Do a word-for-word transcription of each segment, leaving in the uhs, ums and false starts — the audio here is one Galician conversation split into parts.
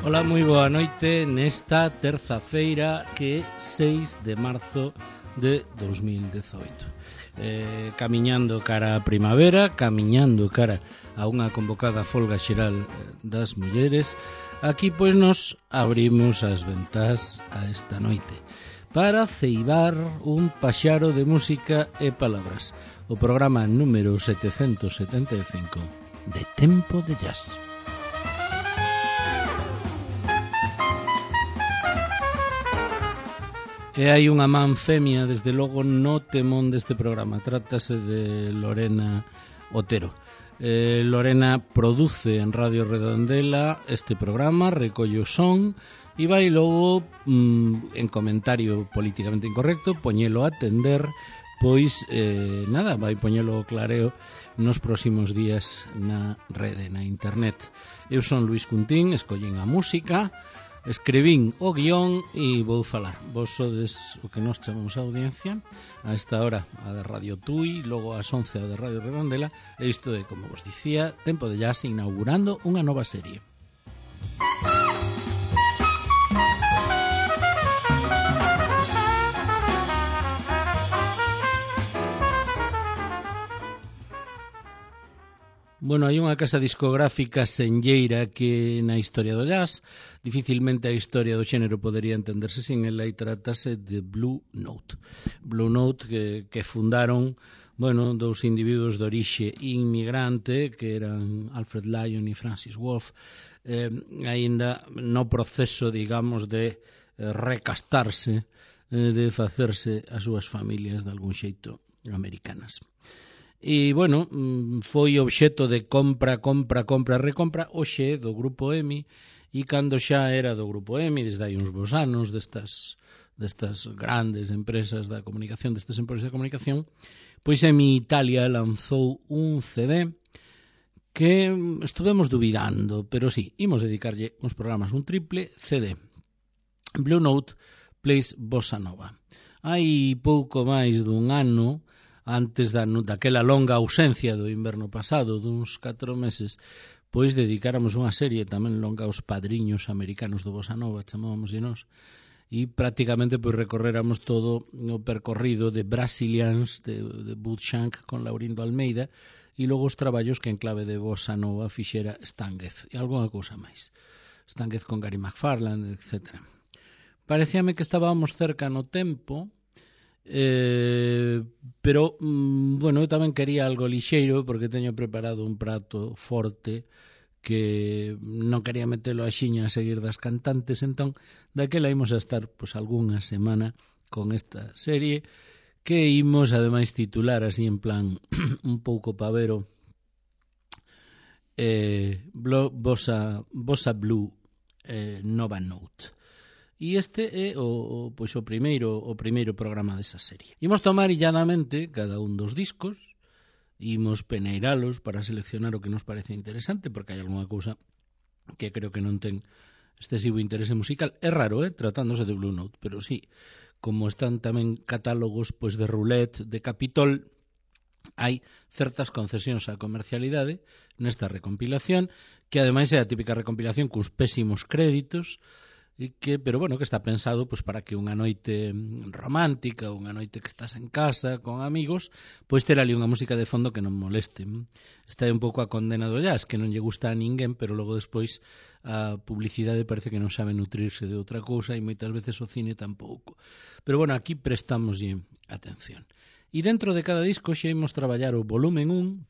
Ola, moi boa noite nesta terza-feira que é seis de marzo de dos mil dezoito. Eh, camiñando cara a primavera, camiñando cara a unha convocada folga xeral das mulleres, aquí pois nos abrimos as ventás a esta noite para ceibar un paxaro de música e palabras. O programa número setecentos setenta e cinco de Tempo de Jazz. E hai unha man femia, desde logo, no temón deste programa. Trátase de Lorena Otero. Eh, Lorena produce en Radio Redondela este programa, recolle o son e vai logo, mm, en comentario políticamente incorrecto, poñelo a atender, pois, eh, nada, vai poñelo clareo nos próximos días na rede, na internet. Eu son Luis Cuntín, escollen a música, escribín o guión e vou falar. Vos sodes o que nos chamamos a audiencia, a esta hora a de Radio Tui, logo ás once a de Radio Redondela, e isto é, como vos dicía, Tempo de Jazz inaugurando unha nova serie. Bueno, hai unha casa discográfica senlleira que na historia do jazz, dificilmente a historia do xénero podería entenderse sin ela, e trátase de Blue Note. Blue Note que, que fundaron, bueno, dous individuos de orixe inmigrante que eran Alfred Lion e Francis Wolff, eh, aínda no proceso, digamos, de eh, recastarse, eh, de facerse as súas familias de algún xeito americanas. E, bueno, foi obxecto de compra, compra, compra, recompra hoxe do Grupo E M I, e cando xa era do Grupo E M I, desde hai uns bons anos, destas, destas grandes empresas da comunicación, destas empresas de comunicación, pois E M I Italia lanzou un C D que estuvemos dubidando, pero sí, imos dedicarlle uns programas, un triple C D. Blue Note Plays Bossa Nova. Hai pouco máis dun ano, antes da, daquela longa ausencia do inverno pasado, duns catro meses, pois dedicáramos unha serie tamén longa aos padriños americanos do Bossa Nova, chamábamos de nós, e prácticamente pois recorréramos todo o percorrido de Brazilians, de, de Bud Shank con Laurindo Almeida, e logo os traballos que en clave de Bossa Nova fixera Stan Getz, e algunha cousa máis. Stan Getz con Gary McFarland, etcétera. Parecíame que estábamos cerca no tempo, Eh, pero, mm, bueno, eu tamén quería algo lixeiro porque teño preparado un prato forte que non quería metelo a xiña a seguir das cantantes, entón daquela imos a estar pois algunha semana con esta serie que imos ademais titular así en plan un pouco pavero, eh, Bossa, Bossa Blue eh, Nova Note. E este é o, pois o primeiro o primeiro programa desa serie. Imos tomar illadamente cada un dos discos, imos peneiralos para seleccionar o que nos parece interesante, porque hai algunha cousa que creo que non ten excesivo interese musical. É raro, eh, tratándose de Blue Note, pero sí, como están tamén catálogos pois de Roulette, de Capitol, hai certas concesións á comercialidade nesta recompilación, que ademais é a típica recompilación cos pésimos créditos, e que, pero bueno, que está pensado pois para que unha noite romántica, unha noite que estás en casa con amigos, pois ter ali unha música de fondo que non moleste. Esta é un pouco a condena do jazz, que non lle gusta a ninguén, pero logo despois a publicidade parece que non sabe nutrirse de outra cousa, e moitas veces o cine tampouco. Pero bueno, aquí prestámoslle atención. E dentro de cada disco xa imos traballar o volumen un,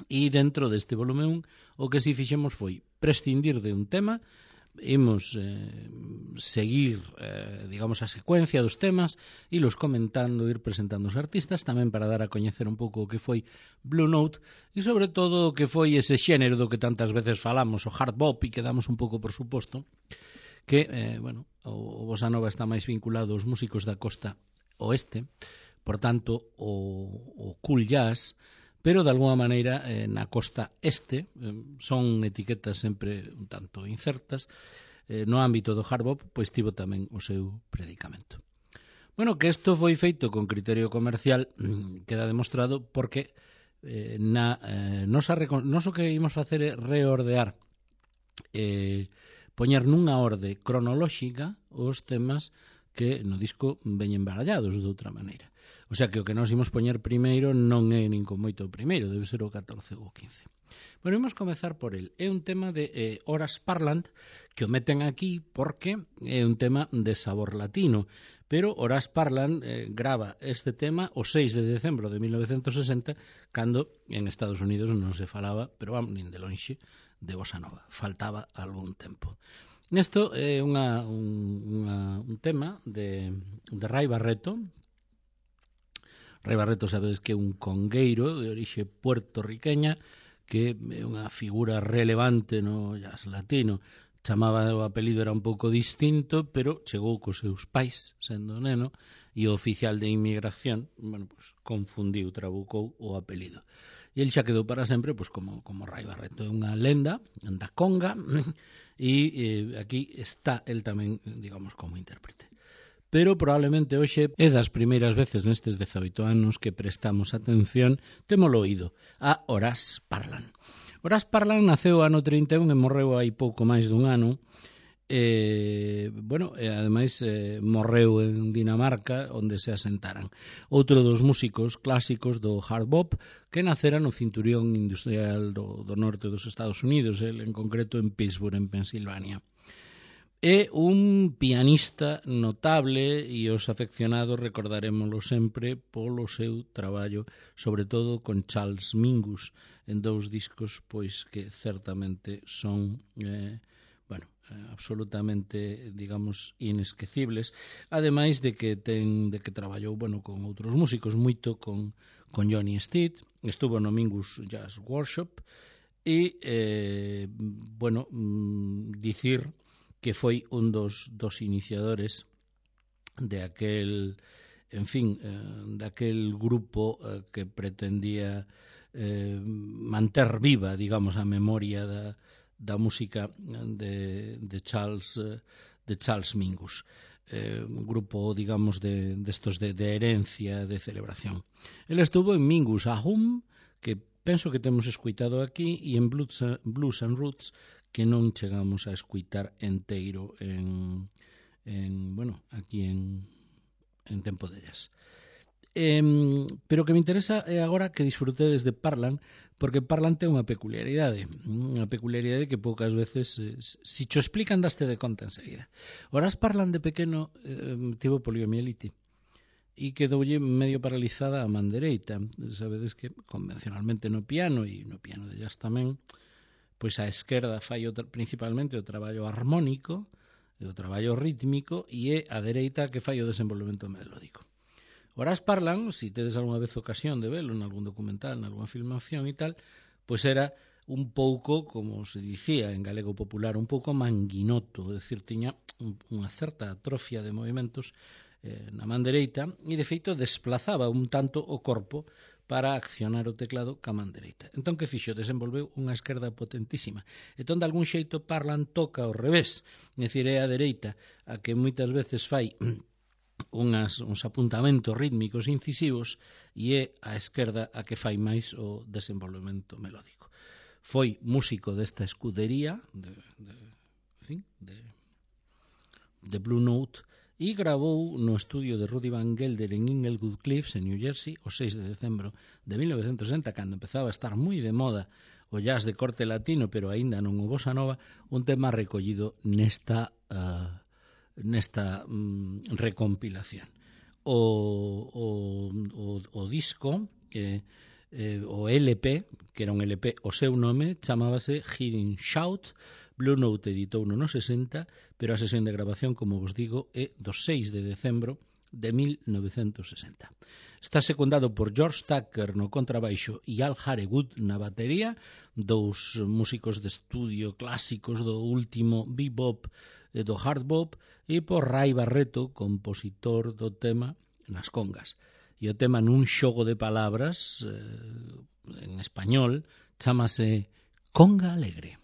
e dentro deste volumen un o que si fixemos foi prescindir de un tema, imos eh, seguir, eh, digamos, a secuencia dos temas, e los comentando, ir presentando os artistas, tamén para dar a coñecer un pouco o que foi Blue Note, e sobre todo o que foi ese xénero do que tantas veces falamos, o hard bop, e que damos un pouco por suposto, que, eh, bueno, o, o Bossa Nova está máis vinculado aos músicos da costa oeste, por tanto, o, o cool jazz, pero de alguma maneira eh, na costa este, eh, son etiquetas sempre un tanto incertas, eh, no ámbito do hard bop, pois tivo tamén o seu predicamento. Bueno, que isto foi feito con criterio comercial queda demostrado porque eh, na, eh, nosa, nos o que imos facer é reordear eh, poñer nunha orde cronolóxica os temas que no disco veñen barallados de outra maneira. O sea que o que nós imos poñer primeiro non é nin con moito o primeiro, debe ser o catorce ou o quince. Bueno, imos comezar por el. É un tema de eh, Horace Parland, que o meten aquí porque é un tema de sabor latino, pero Horace Parland eh, grava este tema o seis de decembro de mil novecientos sesenta, cando en Estados Unidos non se falaba, pero vamos, nin de lonxe, de bossa nova. Faltaba algún tempo. Nesto é unha, un, unha, un tema de, de Ray Barretto. Ray Barretto sabedes que é un congueiro de orixe puertorriqueña, que é unha figura relevante no jazz latino. Chamaba, o apelido era un pouco distinto, pero chegou cos seus pais, sendo neno, e o oficial de inmigración, bueno, pues, confundiu, trabucou o apelido. E ele xa quedou para sempre, pues, como, como Ray Barretto. É unha lenda, anda conga, e eh, aquí está el tamén, digamos, como intérprete. Pero probablemente hoxe é das primeiras veces nestes dezaoito anos que prestamos atención, témolo oído, a Horace Parland. Horace Parland naceu ano trinta e un e morreu hai pouco máis dun ano. E, bueno, e ademais eh, morreu en Dinamarca, onde se asentaran. Outro dos músicos clásicos do hard bop que nacera no cinturón industrial do, do norte dos Estados Unidos, el en concreto en Pittsburgh, en Pensilvania. É un pianista notable e os afeccionados recordarémoslo sempre polo seu traballo, sobre todo con Charles Mingus, en dous discos pois que certamente son eh, bueno, absolutamente, digamos, inesquecibles, ademais de que ten de que traballou, bueno, con outros músicos, moito con con Johnny Steed, estuvo no Mingus Jazz Workshop e eh, bueno, dicir que foi un dos, dos iniciadores de aquel, en fin, eh, daquel grupo eh, que pretendía eh, manter viva, digamos, a memoria da, da música de, de Charles eh, de Charles Mingus. Eh, un grupo, digamos, de, de estos de, de herencia, de celebración. Él estuvo en Mingus Ahum, que penso que temos escuitado aquí, e en Blues, Blues and Roots, que non chegamos a escuitar enteiro en, en bueno, aquí en, en Tempo de Jazz. Eh, pero o que me interesa é agora que disfrutedes de Parland, porque Parland ten unha peculiaridade, unha peculiaridade que poucas veces, eh, si cho explican, daste de conta enseguida. Horace Parland de pequeno eh, tivo poliomielite e quedoulle medio paralizada a man dereita. Sabedes que convencionalmente no piano, e no piano de jazz tamén, pois a esquerda fai o, principalmente o traballo armónico, o traballo rítmico, e é a dereita que fai o desenvolvemento melódico. Horace Parland, se si tedes algunha vez ocasión de velo en algún documental, en algunha filmación e tal, pois era un pouco, como se dicía en galego popular, un pouco manguinoto, é dicir, tiña unha certa atrofia de movimentos eh, na man dereita, e de feito desplazaba un tanto o corpo para accionar o teclado ca man dereita. Entón, que fixo? Desenvolveu unha esquerda potentísima. Entón, de algún xeito, Parland toca ao revés. É dicir, é a dereita a que moitas veces fai unhas, uns apuntamentos rítmicos incisivos, e é a esquerda a que fai máis o desenvolvemento melódico. Foi músico desta escudería de, de, en fin, de, de Blue Note, e gravou no estudio de Rudy Van Gelder en Inglewood Cliffs, en New Jersey, o seis de decembro de mil novecientos sesenta, cando empezaba a estar moi de moda o jazz de corte latino, pero aínda non o bossa nova, un tema recollido nesta, uh, nesta um, recompilación. O, o, o, o disco, eh, eh, o L P, que era un L P, o seu nome chamábase Hearing Shout. Blue Note editou no sesenta, pero a sesión de grabación, como vos digo, é do seis de decembro de mil novecientos sesenta. Está secundado por George Tucker no contrabaixo e Al Harewood na batería, dous músicos de estudio clásicos do último bebop e do hard bop, e por Ray Barretto, compositor do tema, nas congas. E o tema, nun xogo de palabras eh, en español, chámase Conga Alegre.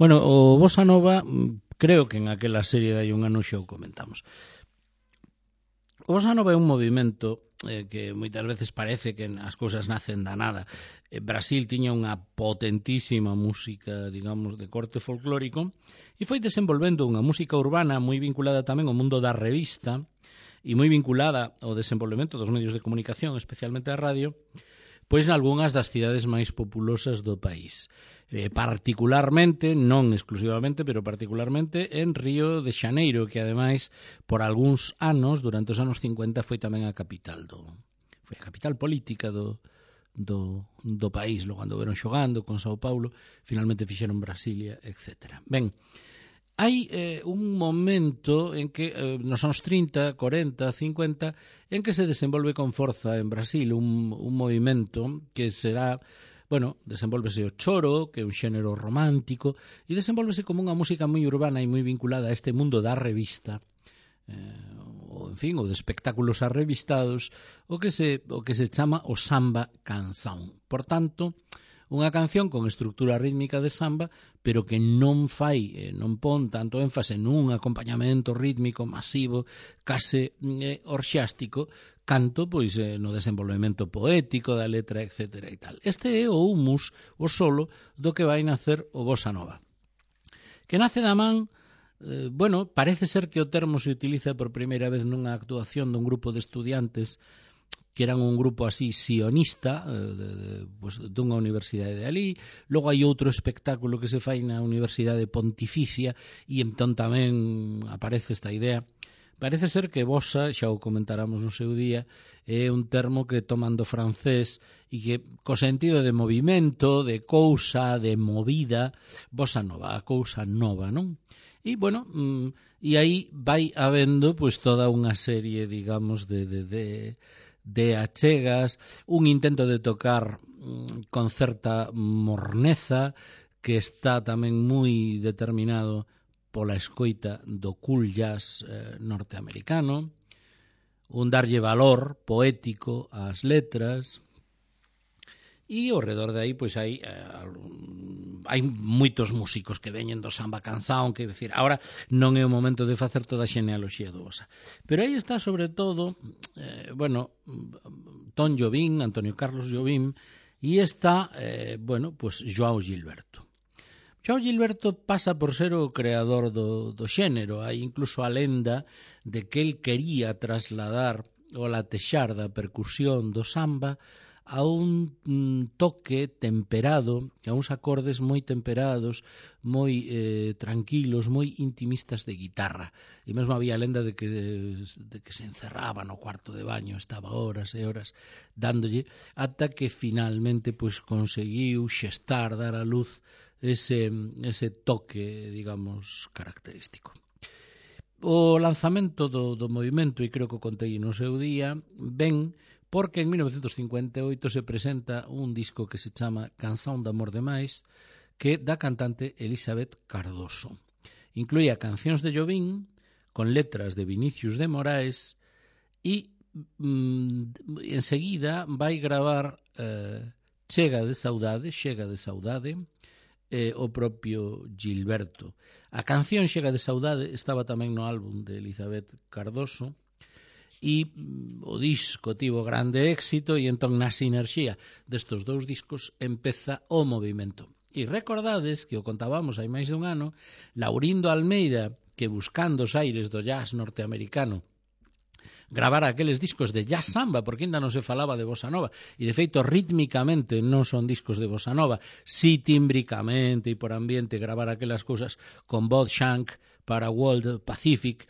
Bueno, o Bossa Nova, creo que en aquela serie de hai un ano xa o comentamos. O Bossa Nova é un movimento eh, que moitas veces parece que as cousas nacen da nada. Eh, Brasil tiña unha potentísima música, digamos, de corte folclórico e foi desenvolvendo unha música urbana moi vinculada tamén ao mundo da revista e moi vinculada ao desenvolvemento dos medios de comunicación, especialmente a radio, pois nalgúnas das cidades máis populosas do país. Eh, particularmente, non exclusivamente, pero particularmente en Río de Xaneiro, que ademais, por algúns anos, durante os anos cincuenta, foi tamén a capital do foi a capital política do, do, do país. Logo cando veron xogando con Sao Paulo, finalmente fixeron Brasilia, etcétera. Ben, hai eh, un momento en que eh, nos anos trinta, cuarenta, cincuenta, en que se desenvolve con forza en Brasil un, un movimento que será, bueno, desenvolvese o choro, que é un xénero romántico, e desenvolvese como unha música moi urbana e moi vinculada a este mundo da revista, eh, ou, en fin, ou de espectáculos arrevistados, o que se, o que se chama o samba canção. Por tanto, unha canción con estructura rítmica de samba, pero que non fai, eh, non pon tanto énfase nun acompañamento rítmico masivo, case eh, orxástico, canto pois eh, no desenvolvemento poético da letra, etcétera e tal. Este é o humus, o solo, do que vai nacer o Bossa Nova. Que nace da man, eh, bueno, parece ser que o termo se utiliza por primeira vez nunha actuación dun grupo de estudiantes que eran un grupo así sionista, eh, de, de, pues, dunha universidade de ali. Logo hai outro espectáculo que se fai na Universidade Pontificia e entón tamén aparece esta idea. Parece ser que bossa, xa o comentáramos no seu día, é un termo que toman do francés e que co sentido de movimento, de cousa, de movida, bossa nova, a cousa nova, non? E, bueno, mm, e aí vai habendo pues, toda unha serie, digamos, de... de, de de achegas, un intento de tocar mm, con certa morneza que está tamén moi determinado pola escoita do cool jazz eh, norteamericano, un darlle valor poético ás letras, e ao redor de aí pois hai eh, hai moitos músicos que veñen do samba canção, que decir, agora non é o momento de facer toda a xenealoxía do bossa. Pero aí está sobre todo eh, bueno, Tom Jobim, Antonio Carlos Jobim, e está eh, bueno, pues João Gilberto. João Gilberto pasa por ser o creador do, do xénero. Hai incluso a lenda de que el quería trasladar o latexar da percusión do samba a un mm, toque temperado, a uns acordes moi temperados, moi eh, tranquilos, moi intimistas de guitarra. E mesmo había lenda de que, de que se encerraba no cuarto de baño, estaba horas e horas dándolle, ata que finalmente pois, conseguiu xestar, dar a luz ese, ese toque, digamos, característico. O lanzamento do, do movimento, e creo que o contei no seu día, ben porque en mil novecentos cincuenta e oito se presenta un disco que se chama Canção de Amor Demais, que da cantante Elizabeth Cardoso. Incluía cancións de Jobim, con letras de Vinicius de Moraes, e mm, enseguida vai gravar eh, Chega de Saudade, Chega de Saudade, eh, o propio Gilberto. A canción Chega de Saudade estaba tamén no álbum de Elizabeth Cardoso, e o disco tivo grande éxito e entón na sinerxía destos dous discos empeza o movimento. E recordades que o contábamos hai máis de un ano, Laurindo Almeida, que buscando os aires do jazz norteamericano gravara aqueles discos de jazz samba, porque ainda non se falaba de bossa nova, e de feito rítmicamente non son discos de bossa nova, si tímbricamente e por ambiente gravar aquelas cousas con Bob Shank para World Pacific,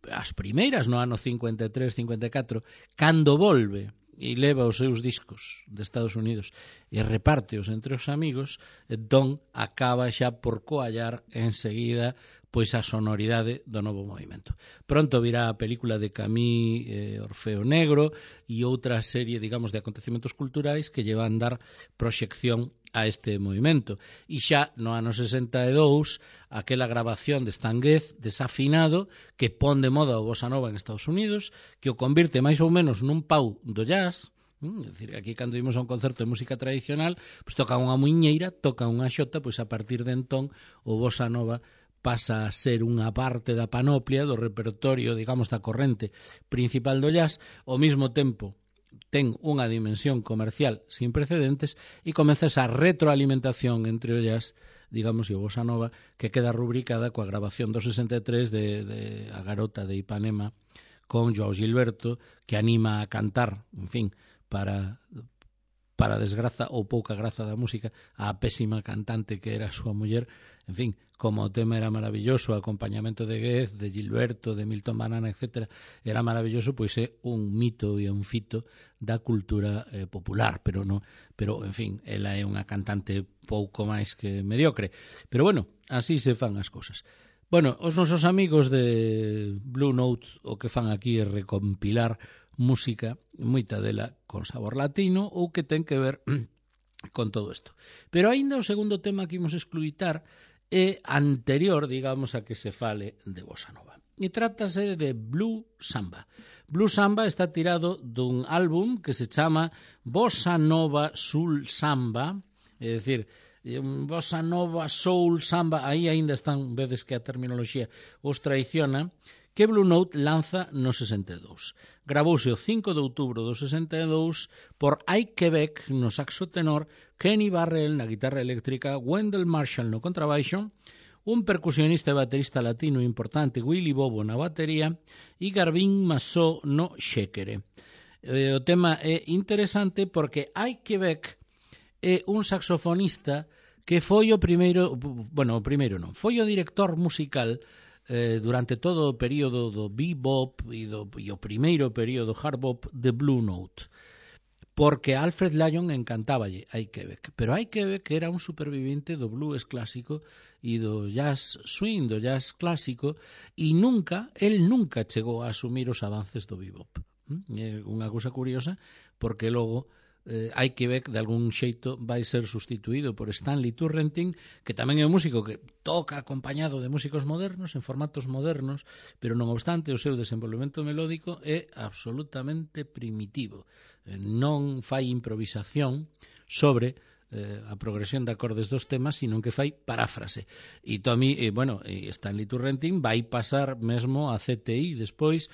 as primeiras no ano cincuenta e tres, cincuenta e catro, cando volve e leva os seus discos de Estados Unidos e repárteos entre os amigos, entón acaba xa por coallar enseguida pois a sonoridade do novo movimento. Pronto virá a película de Camille eh, Orfeo Negro e outra serie, digamos, de acontecementos culturais que lle van dar proxección a este movimento. E xa no ano sesenta e dous, aquela grabación de Stan Getz desafinado que pon de moda o bossa nova en Estados Unidos, que o convirte máis ou menos nun pau do jazz, É dicir, aquí cando imos a un concerto de música tradicional, pois toca unha muiñeira, toca unha xota, pois a partir de entón o bossa nova pasa a ser unha parte da panoplia do repertorio, digamos, da corrente principal do jazz, ao mesmo tempo ten unha dimensión comercial sin precedentes e comeza esa retroalimentación entre o jazz, digamos, e o bossa nova, que queda rubricada coa grabación do sesenta e tres de, de A Garota de Ipanema con Joao Gilberto, que anima a cantar, en fin, para para desgraza ou pouca graza da música, a pésima cantante que era a súa muller. En fin, como o tema era maravilloso, o acompañamento de Goethe, de Gilberto, de Milton Banana, etcétera, era maravilloso, pois é un mito e un fito da cultura eh, popular, pero no, pero en fin, ela é unha cantante pouco máis que mediocre. Pero bueno, así se fan as cousas. Bueno, os nosos amigos de Blue Note o que fan aquí é recompilar música, moita dela con sabor latino ou que ten que ver con todo isto. Pero aínda o segundo tema que imos excluitar é anterior, digamos, a que se fale de bossa nova. E trátase de Blue Samba. Blue Samba está tirado dun álbum que se chama Bossa Nova Soul Samba, é dicir, bossa nova, soul, samba, aí aínda están, vedes que a terminoloxía os traiciona, que Blue Note lanza no sesenta e dous. Gravouse o cinco de outubro do sesenta e dous por Ike Quebec no saxo tenor, Kenny Barrell na guitarra eléctrica, Wendell Marshall no contrabaixo, un percusionista e baterista latino importante, Willy Bobo na batería e Garvin Massó no xéquere. Eh, o tema é interesante porque Ike Quebec é un saxofonista que foi o primeiro, bueno, o primeiro non, foi o director musical eh, durante todo o período do bebop e, do, e o primeiro período hard bop de Blue Note, porque Alfred Lyon encantáballe a Ike Quebec, pero Ike Quebec era un supervivente do blues clásico e do jazz swing, do jazz clásico, e nunca, el nunca chegou a asumir os avances do bebop. É unha cousa curiosa, porque logo eh, Ike Quebec de algún xeito vai ser sustituído por Stanley Turrentine, que tamén é un músico que toca acompañado de músicos modernos, en formatos modernos, pero non obstante o seu desenvolvemento melódico é absolutamente primitivo. Eh, non fai improvisación sobre eh, a progresión de acordes dos temas, sino que fai paráfrase. E Tommy, eh, bueno, eh, Stanley Turrentine vai pasar mesmo a C T I despois,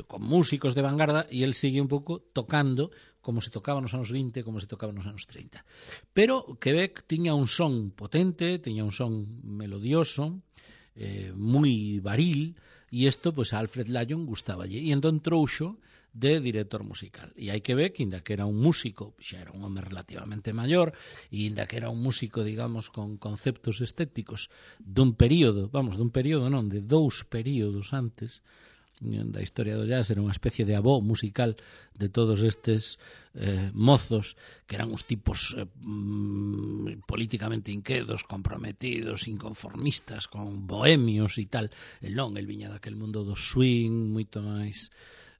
con músicos de vanguarda, e el sigue un pouco tocando como se tocaba nos anos vinte, como se tocaba nos anos trinta. Pero Quebec tiña un son potente, tiña un son melodioso, eh, moi varil, e isto, pois, a Alfred Lyon gustáballe. E entón trouxo de director musical. E hai que ver que, inda que era un músico, xa era un home relativamente maior, e inda que era un músico, digamos, con conceptos estéticos dun período, vamos, dun período non, de dous períodos antes da historia do jazz, era unha especie de avó musical de todos estes eh, mozos que eran uns tipos eh, mm, políticamente inquedos, comprometidos, inconformistas, con bohemios e tal. El non, el viña daquel mundo do swing, moito máis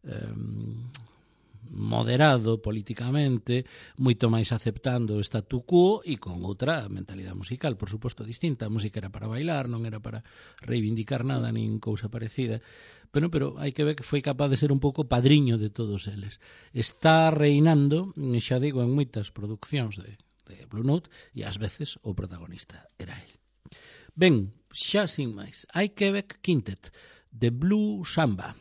eh, moderado políticamente, moito máis aceptando o statu quo e con outra mentalidade musical, por suposto, distinta. A música era para bailar, non era para reivindicar nada, nin cousa parecida. Pero, pero hai que ver que foi capaz de ser un pouco padriño de todos eles. Está reinando, xa digo, en moitas produccións de, de Blue Note, e ás veces o protagonista era el. Ben, xa sin máis, Ike Quebec Quintet, de Blue Samba,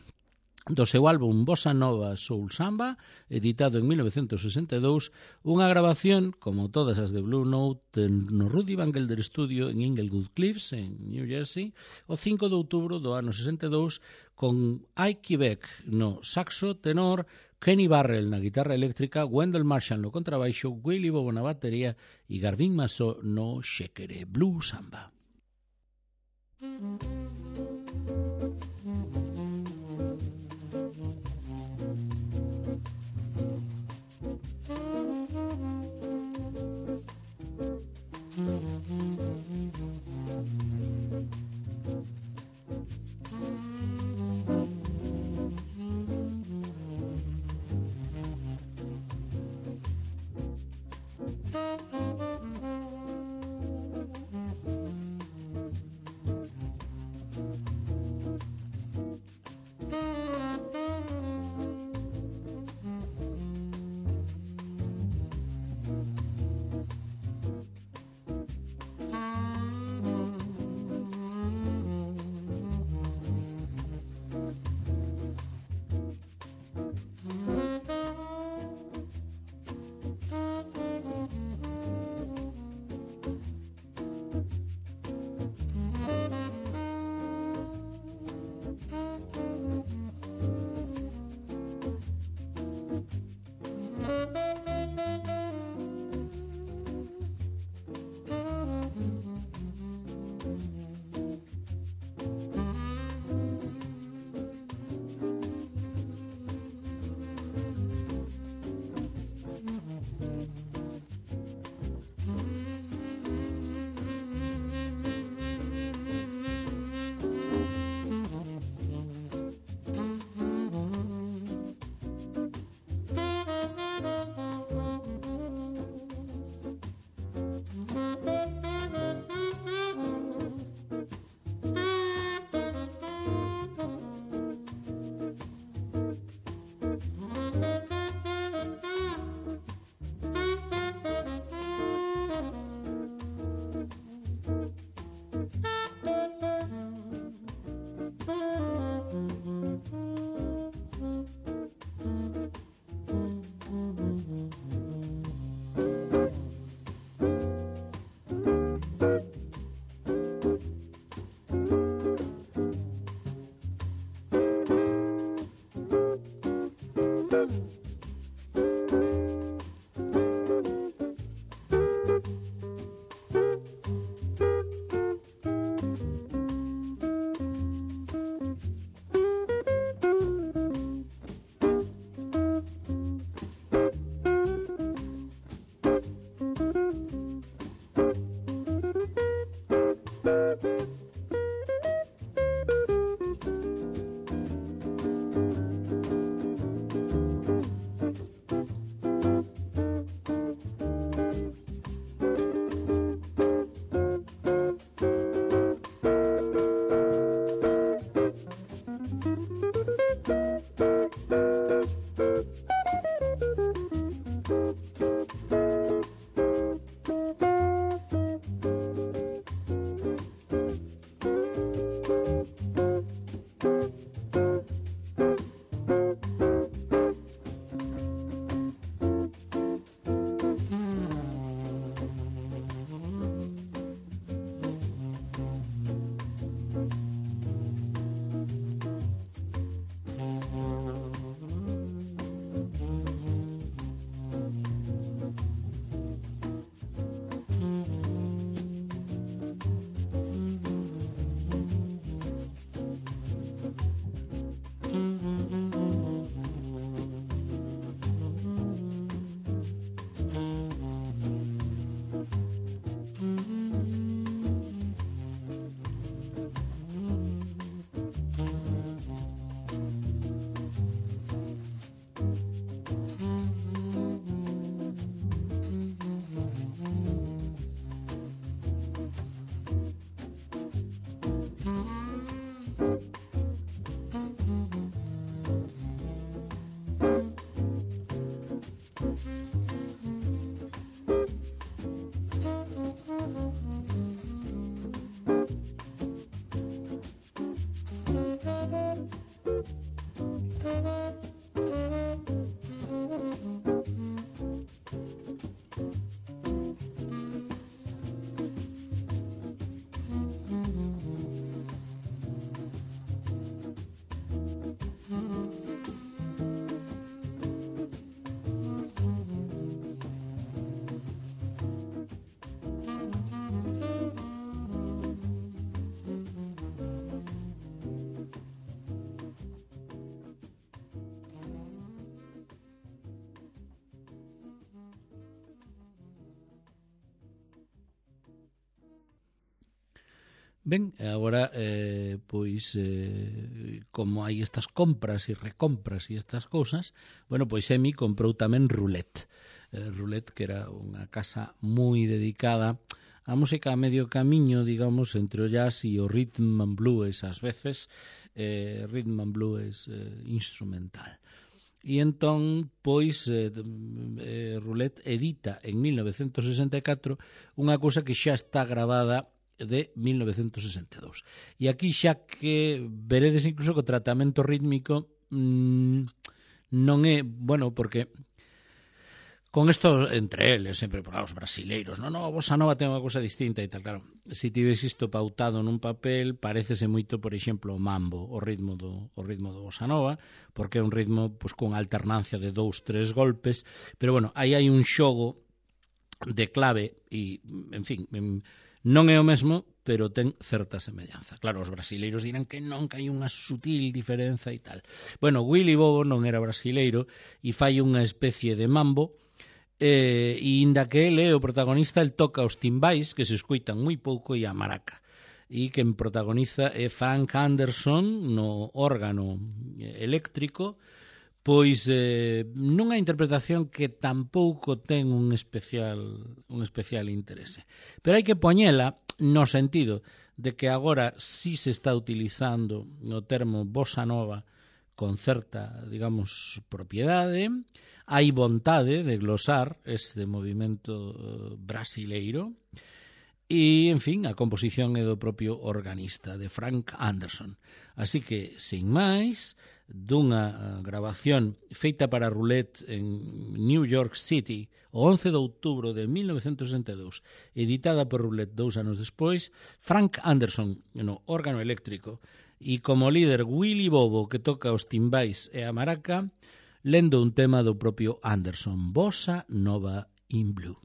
do seu álbum Bossa Nova Soul Samba, editado en mil novecentos sesenta e dous, unha grabación, como todas as de Blue Note, no Rudy Van Gelder Studio en Inglewood Cliffs, en New Jersey, o cinco de outubro do ano sesenta e dous, con Ike Quebec no saxo tenor, Kenny Barrell na guitarra eléctrica, Wendell Marshall no contrabaixo, Willy Bobo na batería e Garvin Massó no xéquere. Blue Samba. Ben, agora, eh, pois, eh, como hai estas compras e recompras e estas cousas, bueno, pois Emi comprou tamén Roulette. Eh, Roulette, que era unha casa moi dedicada a música a medio camiño, digamos, entre o jazz e o rhythm and blues, ás veces, eh, rhythm and blues eh, instrumental. E entón, pois, eh, eh, Roulette edita en mil novecentos sesenta e catro unha cousa que xa está gravada de mil novecentos sesenta e dous. E aquí xa que veredes incluso que o tratamento rítmico mmm, non é, bueno, porque con isto entre eles, sempre por os brasileiros, non, non, a bossa nova ten unha cousa distinta e tal, claro, se tives isto pautado nun papel, parécese moito, por exemplo, o mambo, o ritmo do, o ritmo do bossa nova, porque é un ritmo pois, con alternancia de dous, tres golpes, pero bueno, aí hai un xogo de clave e, en fin, non é o mesmo, pero ten certa semellanza. Claro, os brasileiros dirán que non, que hai unha sutil diferenza e tal. Bueno, Willy Bobo non era brasileiro e fai unha especie de mambo, eh, e inda que ele é o protagonista, el toca os timbais, que se escoitan moi pouco, e a maraca. E quen protagoniza é Frank Anderson no órgano eléctrico, pois eh, nunha interpretación que tampouco ten un especial un especial interese. Pero hai que poñela no sentido de que agora sí se está utilizando o termo bossa nova con certa, digamos, propiedade, hai vontade de glosar este movimento brasileiro, e, en fin, a composición é do propio organista, de Frank Anderson. Así que, sin máis, dunha grabación feita para Roulette en New York City o once de outubro de mil novecentos sesenta e dous, editada por Roulette dous anos despois, Frank Anderson no órgano eléctrico e como líder Willy Bobo, que toca os timbais e a maraca, lendo un tema do propio Anderson, Bossa Nova in Blue.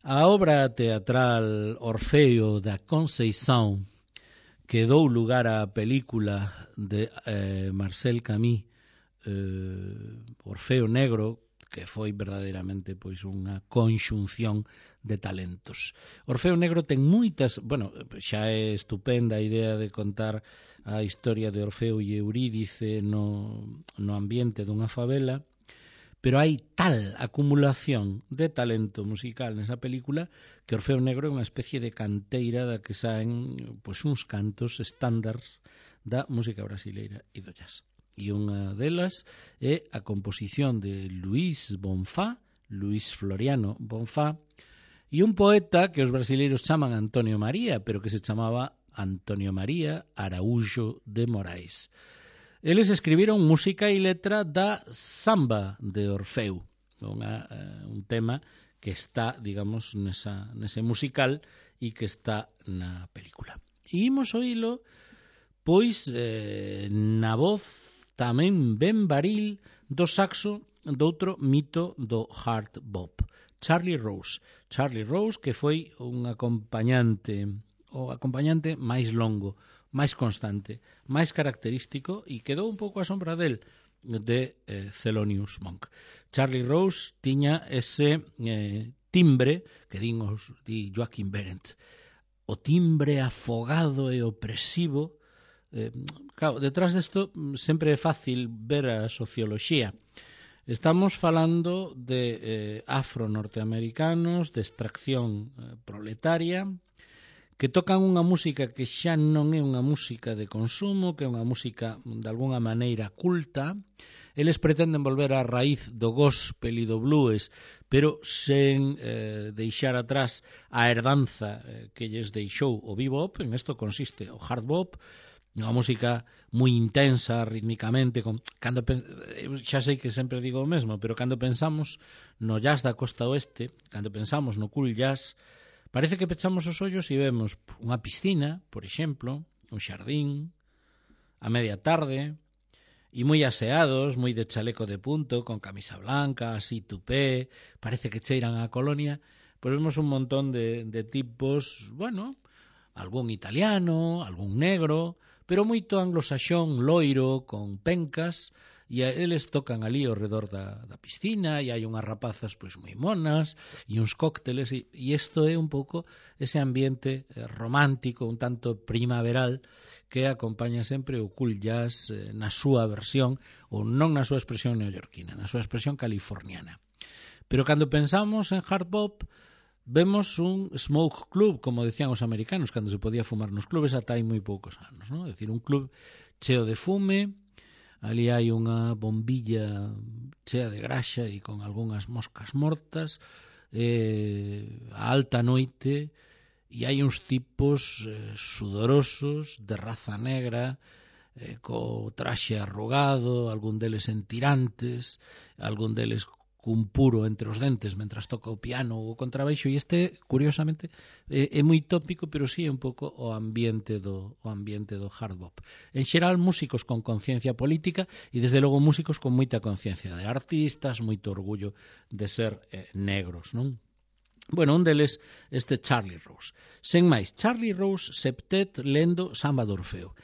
A obra teatral Orfeo da Conceição, que dou lugar á película de eh, Marcel Camus eh, Orfeo Negro, que foi verdadeiramente pois unha conxunción de talentos. Orfeo Negro ten moitas, bueno, xa é estupenda a idea de contar a historia de Orfeo e Eurídice no, no ambiente dunha favela, pero hai tal acumulación de talento musical nesa película que Orfeo Negro é unha especie de canteira da que saen pois, uns cantos estándares da música brasileira e do jazz. E unha delas é a composición de Luís Bonfá, Luís Floriano Bonfá, e un poeta que os brasileiros chaman Antonio María, pero que se chamaba Antonio María Araújo de Moraes. Eles escribiron música e letra da Samba de Orfeu, unha, un tema que está, digamos, nesa, nese musical e que está na película. E imos oílo, pois, eh, na voz tamén ben varil do saxo doutro mito do hard bop, Charlie Rose. Charlie Rose, que foi un acompañante, o acompañante máis longo, máis constante, máis característico e quedou un pouco a sombra del de eh, Thelonious Monk. Charlie Rose tiña ese eh, timbre que din, os, di Joaquin Berendt, o timbre afogado e opresivo. Eh, claro, detrás desto sempre é fácil ver a socioloxía. Estamos falando de eh, afro-norteamericanos, de extracción eh, proletaria, que tocan unha música que xa non é unha música de consumo, que é unha música de alguna maneira culta. Eles pretenden volver á raíz do gospel e do blues, pero sen eh, deixar atrás a herdanza eh, que lles deixou o bebop. En isto consiste o hard bop, unha música moi intensa rítmicamente, con, cando, xa sei que sempre digo o mesmo, pero cando pensamos no jazz da costa oeste, cando pensamos no cool jazz, parece que pechamos os ollos e vemos unha piscina, por exemplo, un xardín, a media tarde, e moi aseados, moi de chaleco de punto, con camisa blanca, así tupé, parece que cheiran a colonia, pois vemos un montón de, de tipos, bueno, algún italiano, algún negro, pero moito anglosaxón, loiro, con pencas, e eles tocan ali ao redor da, da piscina, e hai unhas rapazas pois moi monas, e uns cócteles, e, e isto é un pouco ese ambiente romántico, un tanto primaveral, que acompaña sempre o cool jazz eh, na súa versión, ou non na súa expresión neoyorquina, na súa expresión californiana. Pero cando pensamos en hard bop, vemos un smoke club, como decían os americanos, cando se podía fumar nos clubes ata hai moi poucos anos, non? É dicir, un club cheo de fume, ali hai unha bombilla chea de graxa e con algunhas moscas mortas, eh, a alta noite, e hai uns tipos eh, sudorosos, de raza negra, eh, co traxe arrugado, algún deles en tirantes, algún deles cun puro entre os dentes mentras toca o piano ou o contrabaixo, e este, curiosamente, é, é moi tópico, pero sí é un pouco o ambiente do o ambiente do hard bop. En xeral, músicos con conciencia política e, desde logo, músicos con moita conciencia de artistas, moito orgullo de ser eh, negros, non? Bueno, un deles, este Charlie Rose. Sen máis, Charlie Rose septet lendo Samba de Orfeo,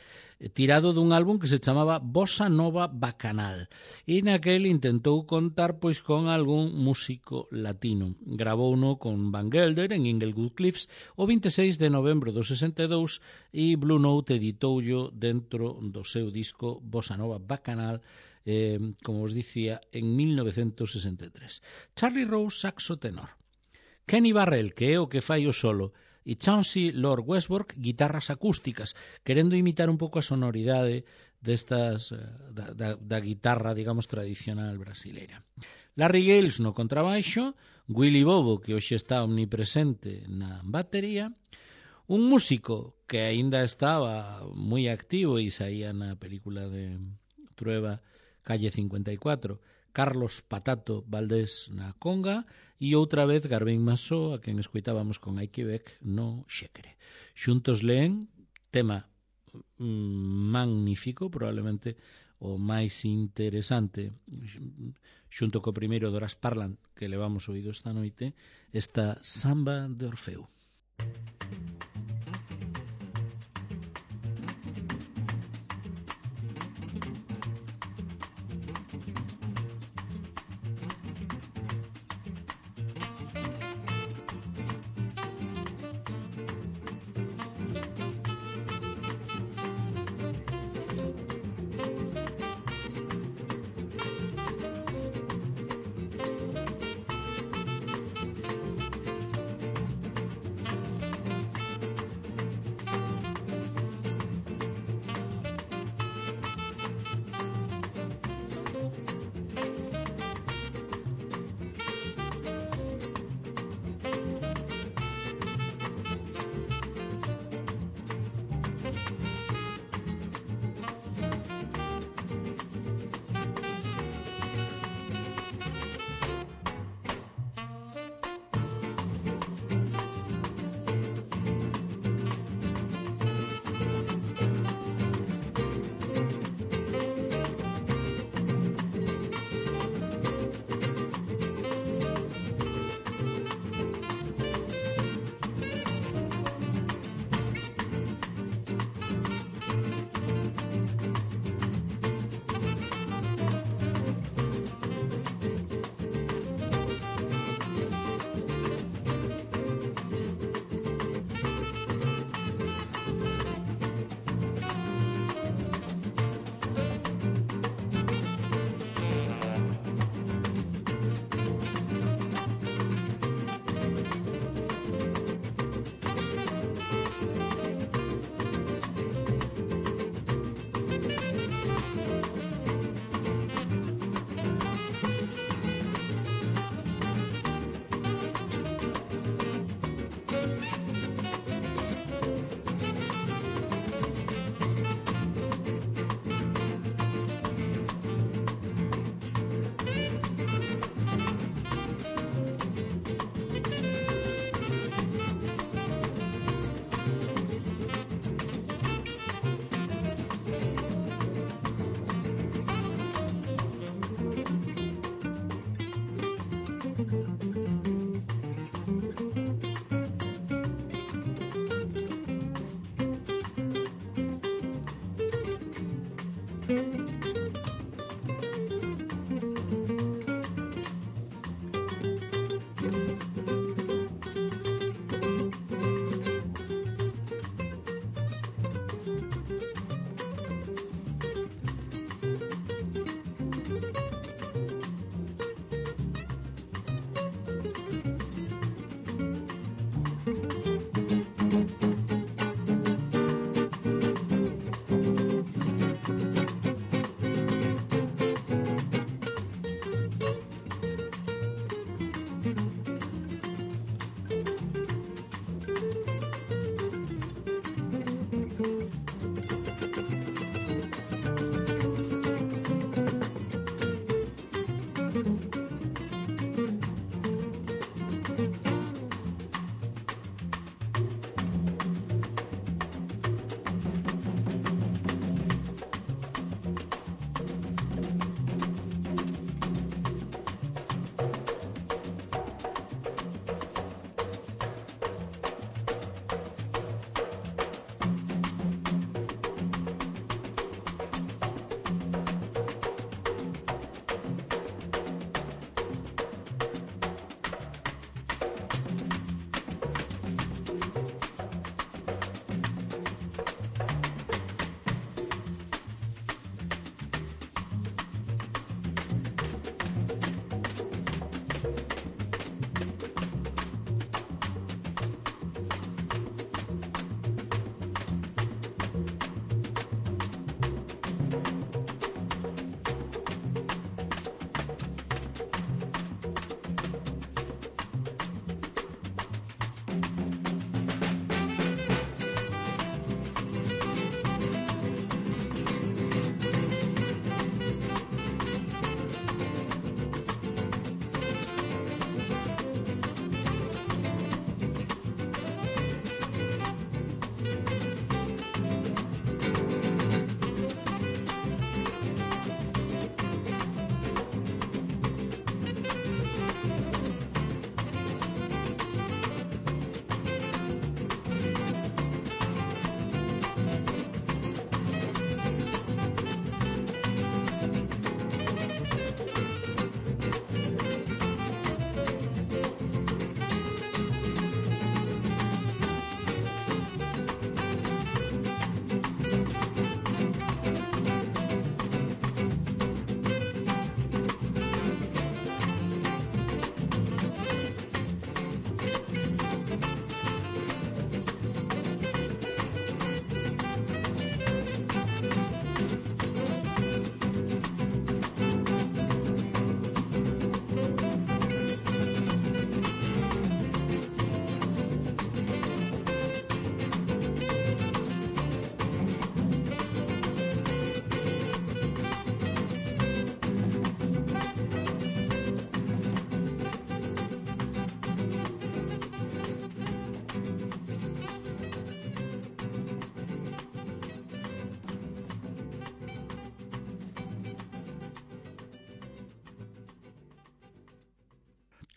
tirado dun álbum que se chamaba Bossa Nova Bacanal, e naquel intentou contar pois con algún músico latino. Gravouno con Van Gelder en Inglewood Cliffs o veintiséis de novembro do sesenta e dous, e Blue Note editoullo dentro do seu disco Bossa Nova Bacanal, eh, como os dicía, en mil novecentos sesenta e tres. Charlie Rose, saxo tenor. Kenny Barrell, que é o que fai o solo, e Chauncey Lord Westbrook, guitarras acústicas, querendo imitar un pouco a sonoridade destas da, da, da guitarra, digamos, tradicional brasileira. Larry Gales no contrabaixo, Willy Bobo, que hoxe está omnipresente na batería, un músico que aínda estaba moi activo e saía na película de Trueba, Calle cincuenta e cuatro, Carlos Patato Valdés na conga, e outra vez Garvin Masó, a quen escoitábamos con Hai Quebec no xéquere. Xuntos leen tema mm, magnífico, probablemente o máis interesante, xunto co primeiro Doras Parlan que levamos oído esta noite, esta Samba de Orfeu.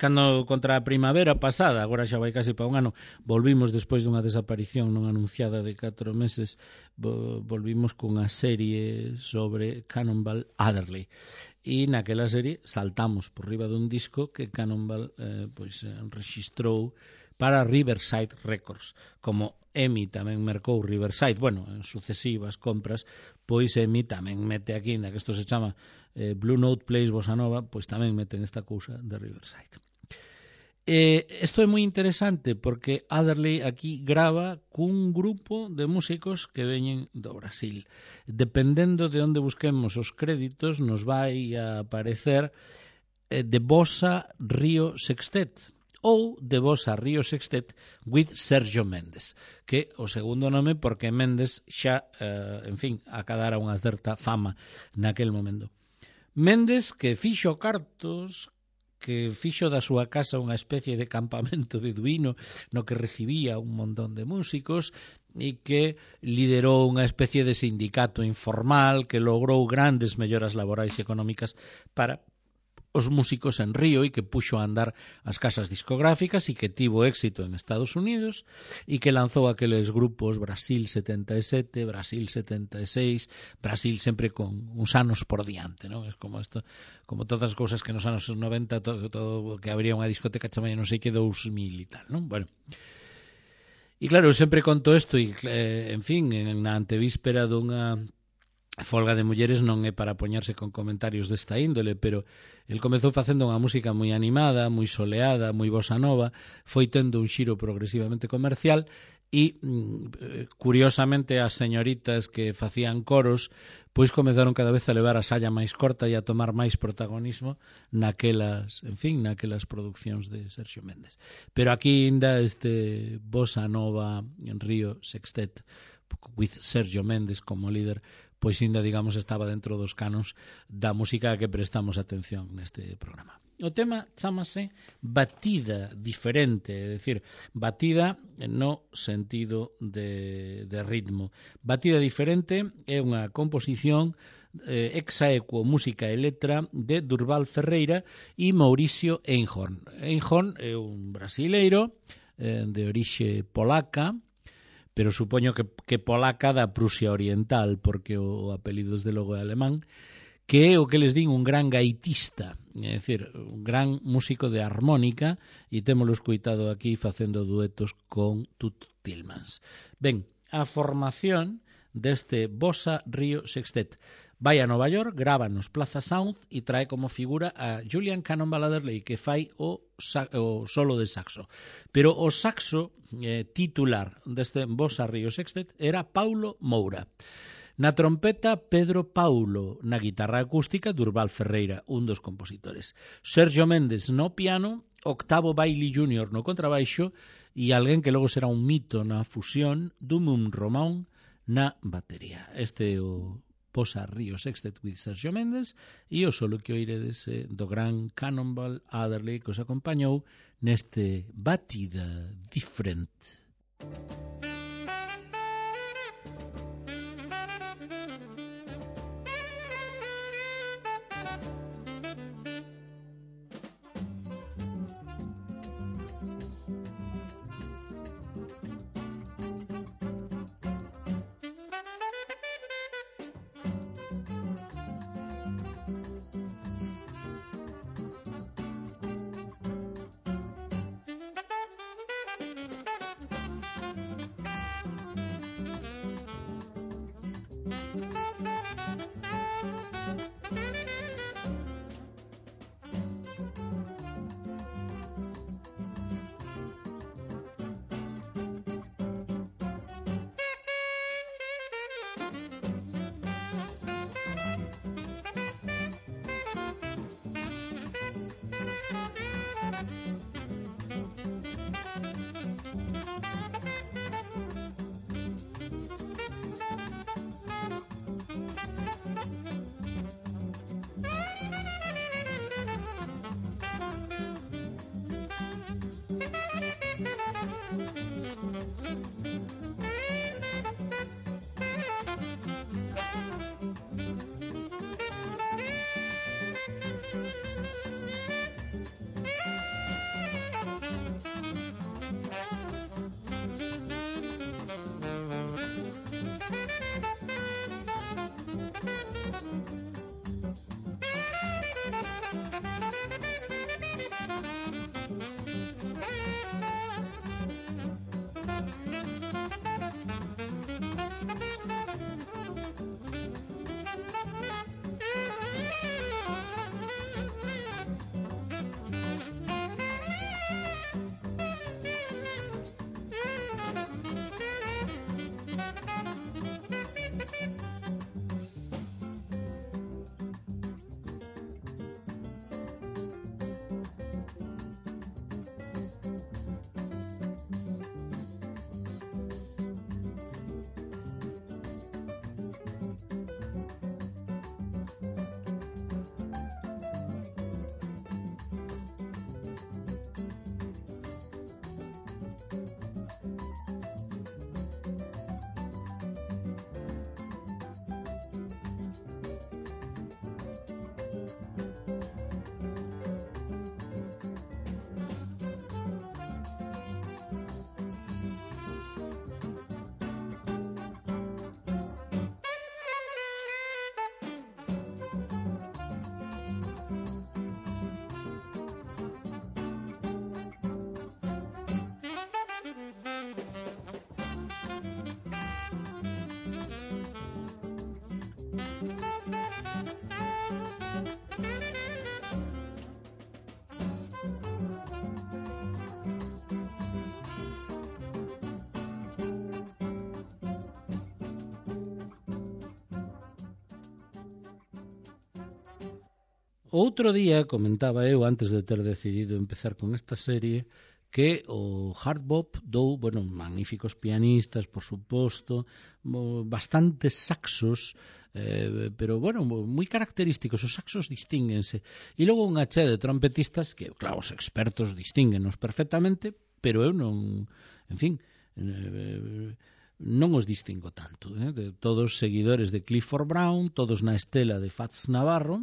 cando contra a primavera pasada, agora xa vai casi para un ano, volvimos despois dunha desaparición non anunciada de catro meses, volvimos cunha serie sobre Cannonball Adderley. E naquela serie saltamos por riba dun disco que Cannonball eh, pois, registrou para Riverside Records. Como EMI tamén mercou Riverside, bueno, en sucesivas compras, pois EMI tamén mete aquí, na que isto se chama eh, Blue Note Plays Bossa Nova, pois tamén meten esta cousa de Riverside. Eh, isto é moi interesante porque Adderley aquí grava cun grupo de músicos que veñen do Brasil. Dependendo de onde busquemos os créditos, nos vai a aparecer eh, de Bossa Rio Sextet ou de Bossa Rio Sextet with Sergio Méndez, que o segundo nome porque Méndez xa, eh, en fin, acadara unha certa fama naquel momento. Méndez que fixo cartos, que fixo da súa casa unha especie de campamento beduíno no que recibía un montón de músicos e que liderou unha especie de sindicato informal que logrou grandes melloras laborais e económicas para os músicos en Río e que puxo a andar as casas discográficas e que tivo éxito en Estados Unidos e que lanzou aqueles grupos Brasil setenta e sete, Brasil setenta e seis, Brasil sempre con uns anos por diante, non? É como isto, como todas as cousas que nos anos noventa todo, todo que habría unha discoteca chamada non sei que dous mil e tal, non? Bueno. E claro, eu sempre conto isto e, eh, en fin, na antevíspera dunha folga de mulleres non é para poñerse con comentarios desta índole, pero el comezou facendo unha música moi animada, moi soleada, moi bossa nova, foi tendo un xiro progresivamente comercial e, curiosamente, as señoritas que facían coros pois comezaron cada vez a levar a salla máis corta e a tomar máis protagonismo naquelas, en fin, naquelas produccións de Sergio Méndez. Pero aquí ainda este bossa nova en Río Sextet with Sergio Méndez como líder, pois ainda, digamos, estaba dentro dos canons da música a que prestamos atención neste programa. O tema chámase Batida Diferente, é dicir, batida no sentido de, de ritmo. Batida Diferente é unha composición eh, exaequo, música e letra de Durval Ferreira e Mauricio Einhorn. Einhorn é un brasileiro eh, de orixe polaca, pero supoño que, que polaca da Prusia Oriental, porque o, o apelido desde logo é alemán, que é o que les din un gran gaitista, é dicir, un gran músico de armónica, e témolo escoitado aquí facendo duetos con Tut Tillmans. Ben, a formación deste Bossa Rio Sextet vai a Nova York, grava nos Plaza Sound e trae como figura a Julian Cannonball Adderley, que fai o, o solo de saxo. Pero o saxo eh, titular deste Bossa Rio Sextet era Paulo Moura. Na trompeta, Pedro Paulo. Na guitarra acústica, Durval Ferreira, un dos compositores. Sergio Méndez no piano, Octavo Bailey júnior no contrabaixo e alguén que logo será un mito na fusión, Dumum Román na batería. Este é o Bossa Rio Sextet with Sergio Méndez e o solo que oiredes eh, do gran Cannonball Adderley que os acompañou neste Batida Diferente. outro día comentaba eu, antes de ter decidido empezar con esta serie, que o hard bop dou, bueno, magníficos pianistas, por suposto, bastantes saxos, eh, pero, bueno, moi característicos, os saxos distínguense. E logo unha che de trompetistas que, claro, os expertos distínguenos perfectamente, pero eu non, en fin, eh, non os distingo tanto. Eh? De todos seguidores de Clifford Brown, todos na estela de Fats Navarro.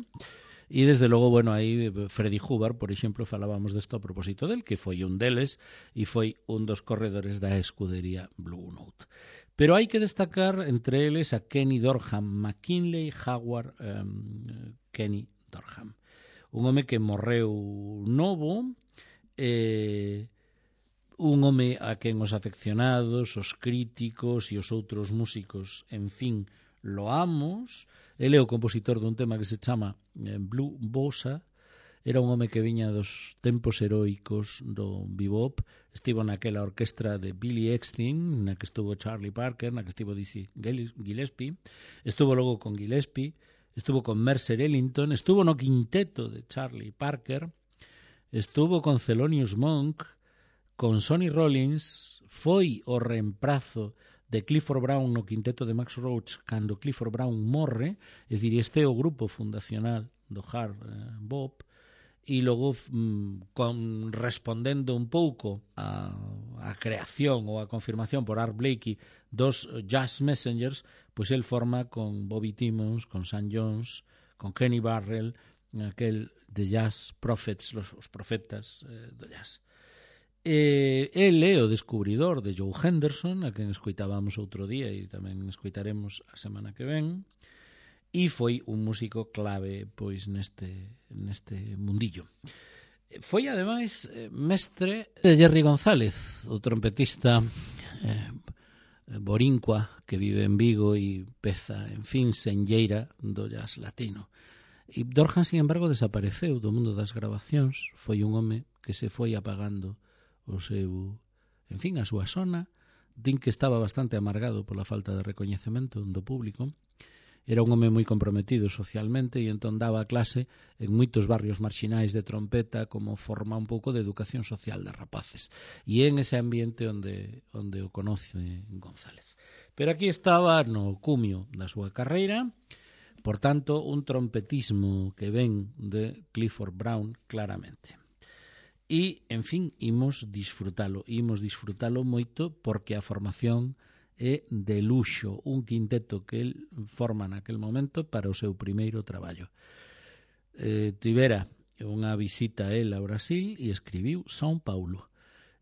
E, desde logo, bueno, aí Freddie Hubbard, por exemplo, falábamos desto a propósito del, que foi un deles e foi un dos corredores da escudería Blue Note. Pero hai que destacar entre eles a Kenny Dorham, McKinley Howard um, Kenny Dorham. Un home que morreu novo, eh, un home a quen os afeccionados, os críticos e os outros músicos, en fin, loamos. Ele é o compositor dun tema que se chama Blue Bossa. Era un home que viña dos tempos heroicos do bebop. Estivo naquela orquestra de Billy Eckstine, na que estuvo Charlie Parker, na que estivo Dizzy Gillespie. Estuvo logo con Gillespie, estuvo con Mercer Ellington, estuvo no quinteto de Charlie Parker, estuvo con Thelonious Monk, con Sonny Rollins, foi o reemprazo de Clifford Brown no quinteto de Max Roach cando Clifford Brown morre, é dicir, este é o grupo fundacional do hard eh, bop, e logo mm, con, respondendo un pouco a, a creación ou a confirmación por Art Blakey dos Jazz Messengers, pois el forma con Bobby Timmons, con Sam Jones, con Kenny Barrell, aquel de Jazz Prophets, los, os profetas eh, do jazz. Eh, el é o descubridor de Joe Henderson, a quen escoitábamos outro día e tamén escoitaremos a semana que ven, e foi un músico clave pois neste, neste mundillo. Foi ademais mestre de Jerry González, o trompetista eh, borincua que vive en Vigo e peza, en fin, senlleira do jazz latino. E Dorham, sin embargo, desapareceu do mundo das grabacións, foi un home que se foi apagando o seu, en fin, a súa sona. Din que estaba bastante amargado pola falta de recoñecemento do público. Era un home moi comprometido socialmente e entón daba clase en moitos barrios marxinais de trompeta como forma un pouco de educación social de rapaces. E é en ese ambiente onde, onde o conoce González. Pero aquí estaba no cumio da súa carreira, por tanto, un trompetismo que ven de Clifford Brown claramente. E, en fin, imos disfrutalo, imos disfrutalo moito porque a formación é de luxo, un quinteto que el forma naquel momento para o seu primeiro traballo. Eh, tivera unha visita a él a Brasil e escribiu São Paulo.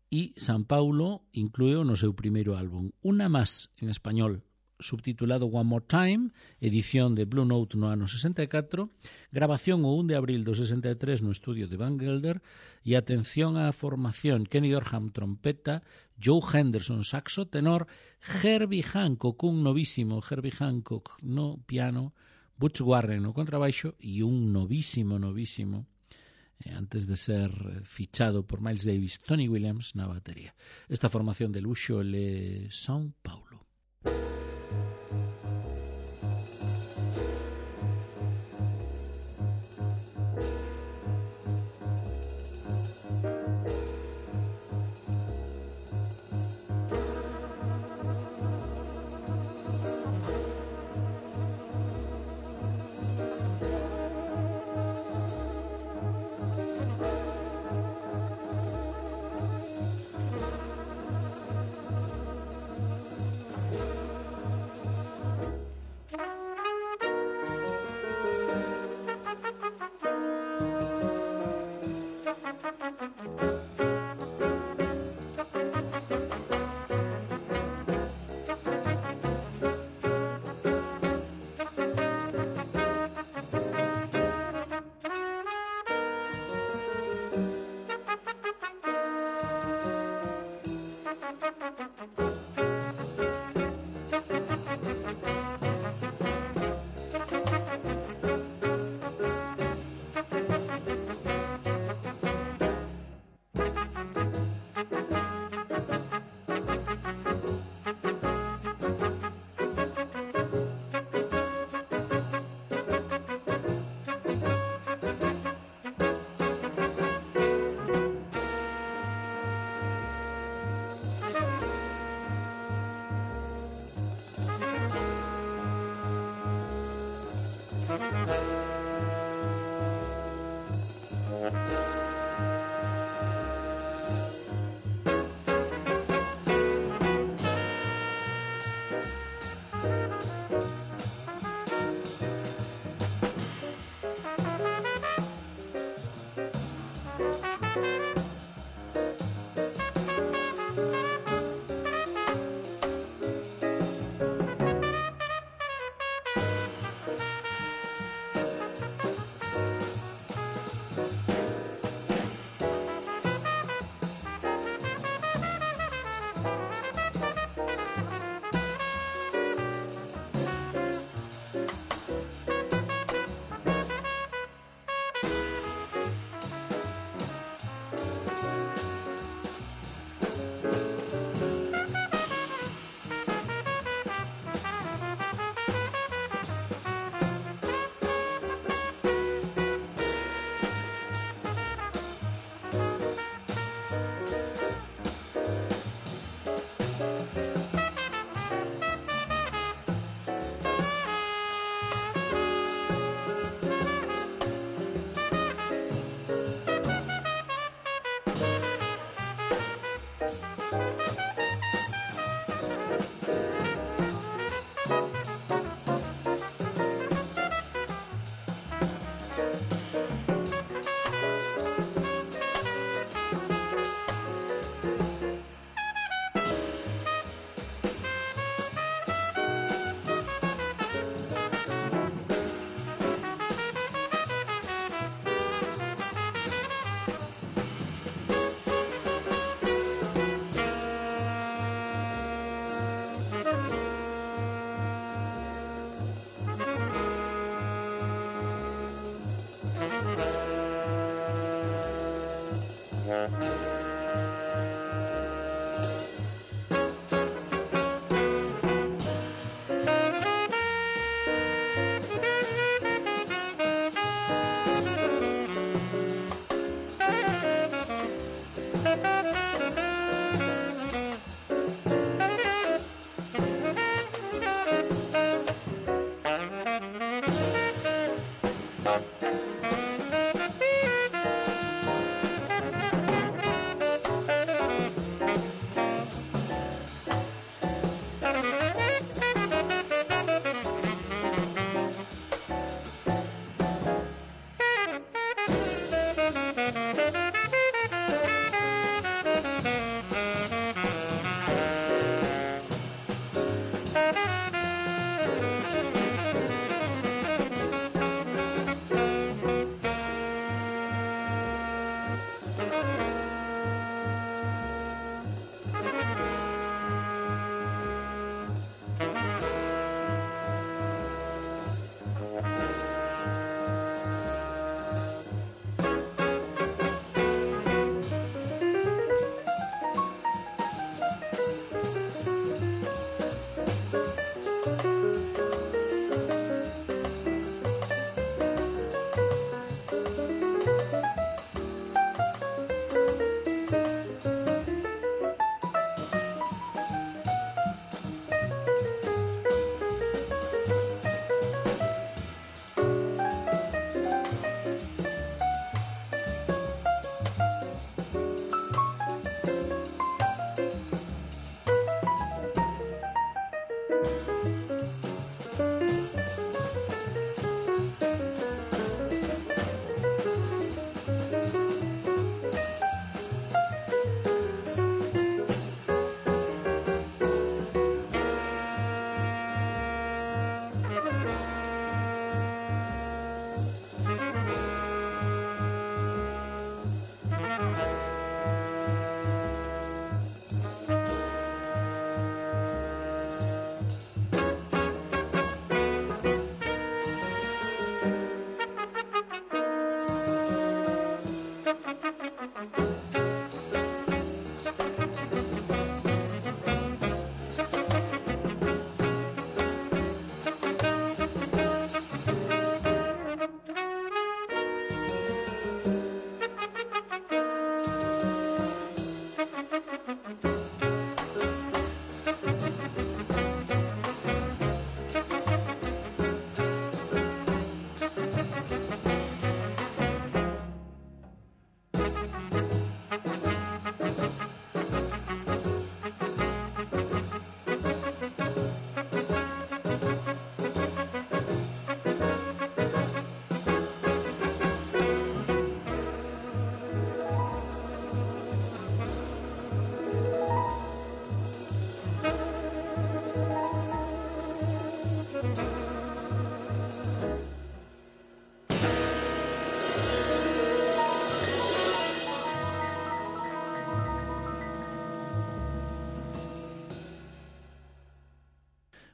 E São Paulo incluíu no seu primeiro álbum Una Más en español, subtitulado One More Time, edición de Blue Note no ano sesenta e catro, grabación o un de abril do sesenta e tres no estudio de Van Gelder, e atención á formación: Kenny Dorham trompeta, Joe Henderson saxo tenor, Herbie Hancock, un novísimo Herbie Hancock no piano, Butch Warren no contrabaixo e un novísimo, novísimo, eh, antes de ser fichado por Miles Davis, Tony Williams na batería. Esta formación de luxo é São Paulo.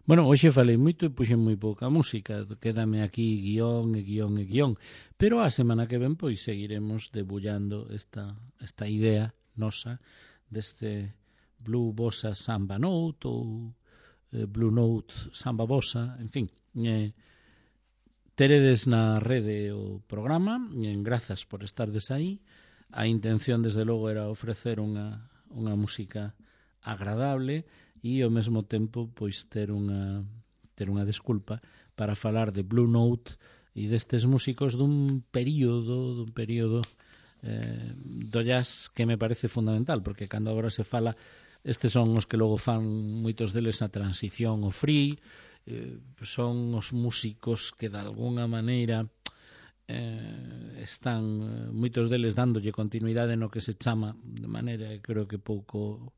Bueno, hoxe falei moito e puxen moi pouca música, quédame aquí guión e guión e guión, pero a semana que ven pois seguiremos debullando esta, esta idea nosa deste Blue Bossa Samba Note ou eh, Blue Note Samba Bossa, en fin. Eh, teredes na rede o programa, e grazas por estardes aí. A intención, desde logo, era ofrecer unha, unha música agradable e ao mesmo tempo pois ter unha ter unha desculpa para falar de Blue Note e destes músicos dun período dun período eh, do jazz que me parece fundamental, porque cando agora se fala, estes son os que logo fan moitos deles a transición ao free, eh, son os músicos que de alguna maneira eh, están moitos deles dándolle continuidade no que se chama de maneira, creo que pouco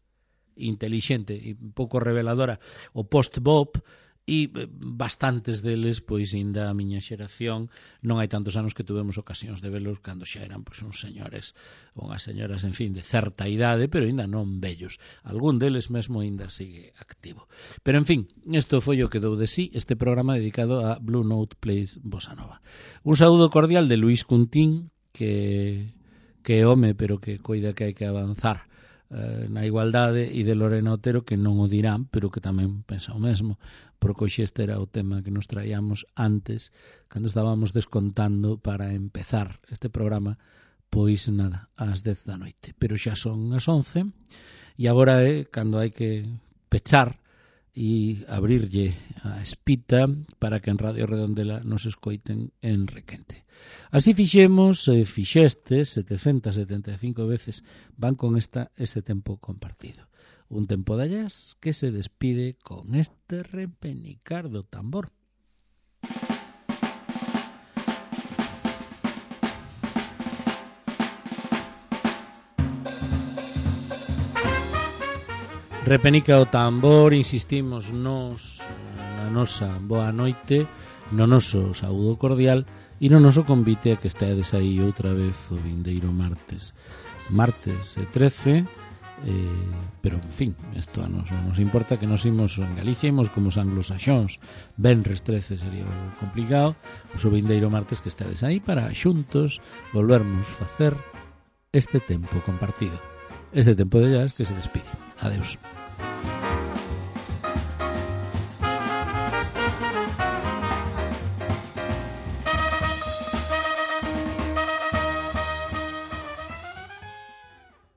intelixente e pouco reveladora o post-bop, e bastantes deles, pois, ainda a miña xeración, non hai tantos anos que tuvemos ocasións de velos cando xa eran pois uns señores ou unhas señoras, en fin, de certa idade, pero ainda non vellos. Algún deles mesmo ainda sigue activo. Pero, en fin, isto foi o que dou de sí este programa dedicado a Blue Note Plays Bossa Nova. Un saúdo cordial de Luís Cuntín, que que é home, pero que coida que hai que avanzar eh, na igualdade, e de Lorena Otero, que non o dirán, pero que tamén pensa o mesmo, porque hoxe este era o tema que nos traíamos antes, cando estábamos descontando para empezar este programa, pois nada, ás dez da noite. Pero xa son as once, e agora é cando hai que pechar e abrirlle a espita para que en Radio Redondela nos escoiten en Requente. Así fixemos, eh, fixestes setecentas setenta e cinco veces, van con esta este tempo compartido. Un tempo de jazz que se despide con este repenicar do tambor. Repenica o tambor, insistimos nos na nosa boa noite, no noso saúdo cordial e no noso convite a que estedes aí outra vez o vindeiro martes. Martes trece, eh, pero, en fin, isto a nos non nos importa, que nos imos en Galicia, imos como os anglosaxóns, venres trece sería complicado, o vindeiro martes que estedes aí para xuntos volvermos facer este tempo compartido, este tempo de jazz que se despide. Adeus.